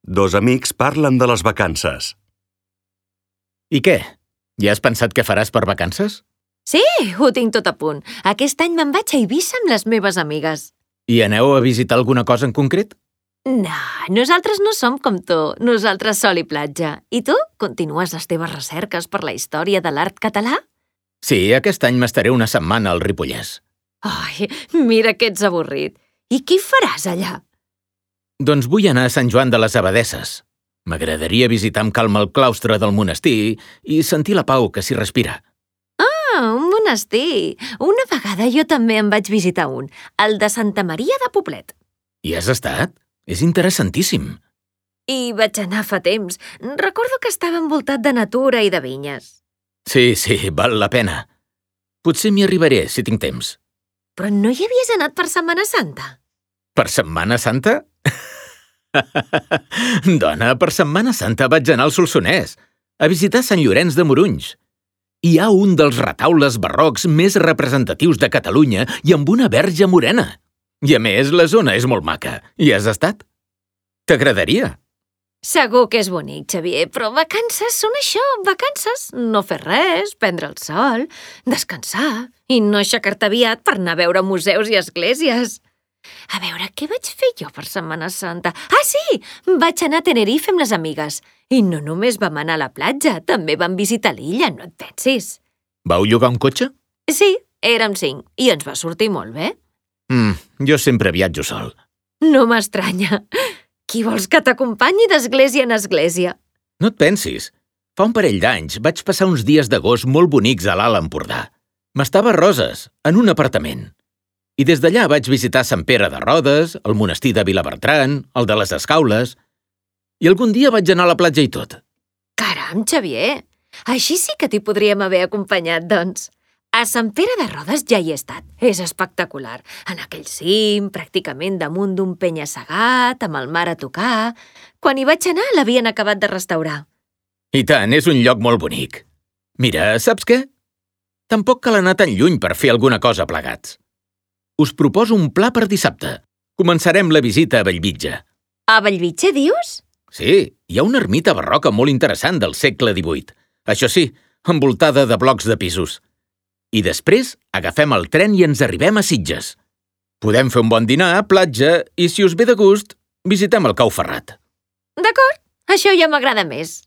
Dos amics parlen de les vacances. I què? Ja has pensat què faràs per vacances? Sí, ho tinc tot a punt. Aquest any me'n vaig a Eivissa amb les meves amigues. I aneu a visitar alguna cosa en concret? No, nosaltres no som com tu. Nosaltres sol i platja. I tu? Continues les teves recerques per la història de l'art català? Sí, aquest any m'estaré una setmana al Ripollès. Ai, mira que ets avorrit. I què hi faràs allà? Doncs vull anar a Sant Joan de les Abadesses. M'agradaria visitar amb calma el claustre del monestir i sentir la pau que s'hi respira. Ah, un monestir. Una vegada jo també en vaig visitar un, el de Santa Maria de Poblet. Hi has estat? És interessantíssim. I vaig anar fa temps. Recordo que estava envoltat de natura i de vinyes. Sí, val la pena. Potser m'hi arribaré, si tinc temps. Però no hi havies anat per Setmana Santa? Per Setmana Santa? Dona, per Setmana Santa vaig anar al Solsonès, a visitar Sant Llorenç de Morunys. Hi ha un dels retaules barrocs més representatius de Catalunya i amb una verge morena. I a més, la zona és molt maca. Hi has estat? T'agradaria? Segur que és bonic, Xavier, però vacances són això, vacances. No fer res, prendre el sol, descansar i no aixecar-te aviat per anar a veure museus i esglésies. A veure, què vaig fer jo per Setmana Santa? Ah, sí! Vaig anar a Tenerife amb les amigues. I no només vam anar a la platja, també vam visitar l'illa, no et pensis. Vau llogar un cotxe? Sí, érem 5 i ens va sortir molt bé. Jo sempre viatjo sol. No m'estranya. Qui vols que t'acompanyi d'església en església? No et pensis. Fa un parell d'anys vaig passar uns dies d'agost molt bonics a l'Alt Empordà. M'estava a Roses, en un apartament. I des d'allà vaig visitar Sant Pere de Rodes, el monestir de Vilabertran, el de les Escaules, i algun dia vaig anar a la platja i tot. Caram, Xavier! Així sí que t'hi podríem haver acompanyat, doncs. A Sant Pere de Rodes ja hi he estat. És espectacular. En aquell cim, pràcticament damunt d'un penya-segat, amb el mar a tocar. Quan hi vaig anar, l'havien acabat de restaurar. I tant, és un lloc molt bonic. Mira, saps què? Tampoc cal anar tan lluny per fer alguna cosa plegats. Us proposo un pla per dissabte. Començarem la visita a Bellvitge. A Bellvitge, dius? Sí, hi ha una ermita barroca molt interessant del segle XVIII. Això sí, envoltada de blocs de pisos. I després agafem el tren i ens arribem a Sitges. Podem fer un bon dinar, platja, i si us ve de gust, visitem el Cau Ferrat. D'acord, això ja m'agrada més.